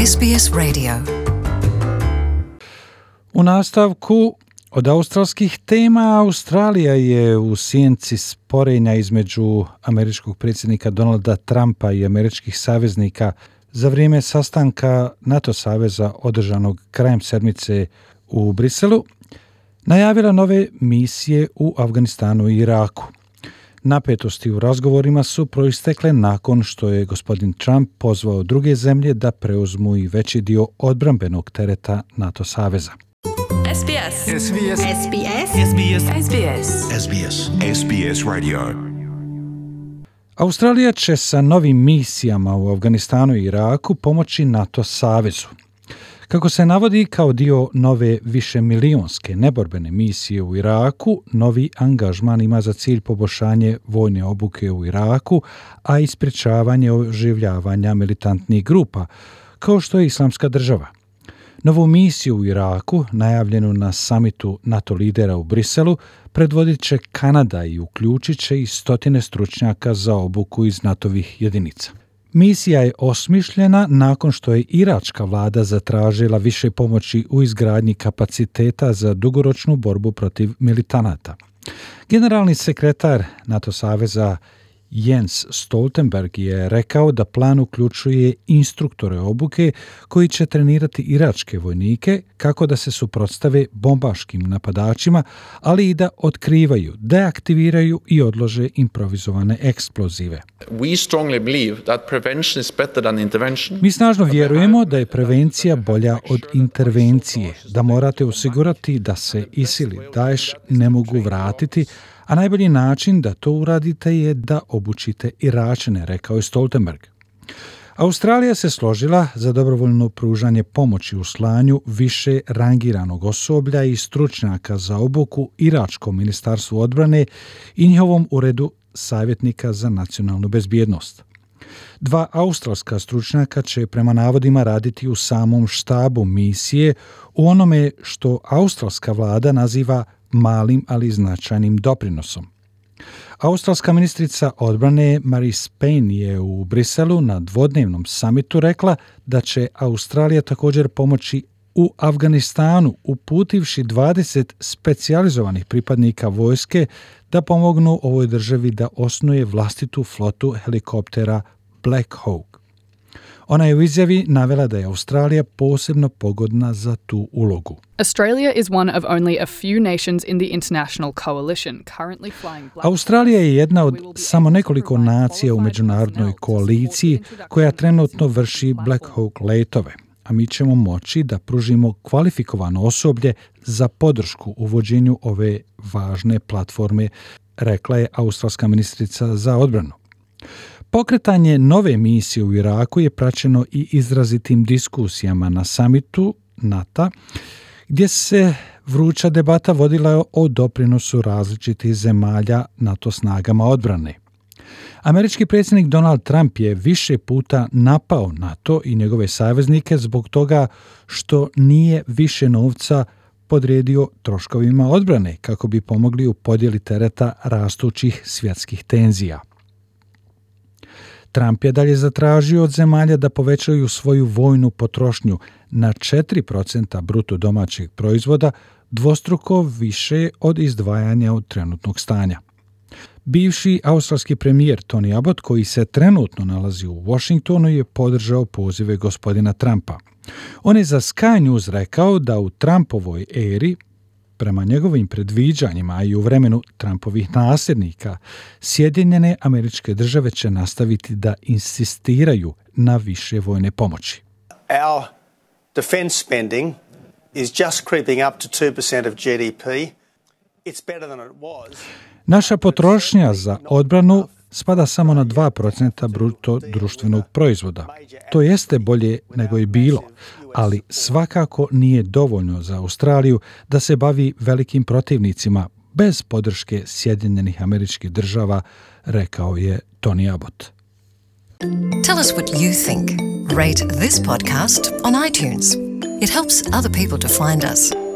SBS Radio. U nastavku od australskih tema, Australija je u sjenci sporenja između američkog predsjednika Donalda Trumpa i američkih saveznika za vrijeme sastanka NATO saveza održanog krajem sedmice u Briselu najavila nove misije u Afganistanu i Iraku. Napetosti u razgovorima su proistekle nakon što je gospodin Trump pozvao druge zemlje da preuzmu i veći dio odbrambenog tereta NATO saveza. SBS. SBS. SBS. SBS. SBS. SBS. SBS Radio. Australija će sa novim misijama u Afganistanu i Iraku pomoći NATO savezu. Kako se navodi kao dio nove višemilijonske neborbene misije u Iraku, novi angažman ima za cilj poboljšanje vojne obuke u Iraku, a i sprječavanje oživljavanja militantnih grupa, kao što je Islamska država. Novu misiju u Iraku, najavljenu na samitu NATO lidera u Briselu, predvodit će Kanada i uključit će i stotine stručnjaka za obuku iz NATO-vih jedinica. Misija je osmišljena nakon što je iračka vlada zatražila više pomoći u izgradnji kapaciteta za dugoročnu borbu protiv militanata. Generalni sekretar NATO saveza Jens Stoltenberg je rekao da plan uključuje instruktore obuke koji će trenirati iračke vojnike kako da se suprotstave bombaškim napadačima, ali i da otkrivaju, deaktiviraju i odlože improvizovane eksplozive. Mi snažno vjerujemo da je prevencija bolja od intervencije, da morate osigurati da se ISIL i Daesh ne mogu vratiti, a najbolji način da to uradite je da obučite Iračane, rekao je Stoltenberg. Australija se složila za dobrovoljno pružanje pomoći u slanju više rangiranog osoblja i stručnjaka za obuku Iračkom ministarstvu odbrane i njihovom uredu savjetnika za nacionalnu bezbjednost. 2 australska stručnjaka će prema navodima raditi u samom štabu misije u onome što australska vlada naziva malim, ali značajnim doprinosom. Australska ministrica odbrane Marise Payne je u Briselu na dvodnevnom samitu rekla da će Australija također pomoći u Afganistanu, uputivši 20 specijalizovanih pripadnika vojske da pomognu ovoj državi da osnuje vlastitu flotu helikoptera Black Hawk. Ona je u izjavi navela da je Australija posebno pogodna za tu ulogu. Australia is one of only a few nations in the international coalition currently flying Black. Australija je jedna od samo nekoliko nacija u međunarodnoj koaliciji koja trenutno vrši Black Hawk letove, a mi ćemo moći da pružimo kvalifikovano osoblje za podršku uvođenju ove važne platforme, rekla je australska ministrica za odbranu. Pokretanje nove misije u Iraku je praćeno i izrazitim diskusijama na samitu NATO, gdje se vruća debata vodila o doprinosu različitih zemalja NATO snagama odbrane. Američki predsjednik Donald Trump je više puta napao NATO i njegove saveznike zbog toga što nije više novca podredio troškovima odbrane kako bi pomogli u podjeli tereta rastućih svjetskih tenzija. Trump je dalje zatražio od zemalja da povećaju svoju vojnu potrošnju na 4% bruto domaćeg proizvoda, dvostruko više od izdvajanja od trenutnog stanja. Bivši australski premijer Tony Abbott, koji se trenutno nalazi u Washingtonu, je podržao pozive gospodina Trumpa. On je za Sky News rekao da u Trumpovoj eri, prema njegovim predviđanjima i u vremenu Trumpovih nasljednika, Sjedinjene Američke Države će nastaviti da insistiraju na više vojne pomoći. Our defense spending is just creeping up to 2% of GDP. It's better than it was. Naša potrošnja za odbranu spada samo na 2% bruto društvenog proizvoda. To jeste bolje nego je bilo, ali svakako nije dovoljno za Australiju da se bavi velikim protivnicima bez podrške Sjedinjenih Američkih Država, rekao je Tony Abbott. Tell us what you think. Rate this podcast on iTunes. It helps other people to find us.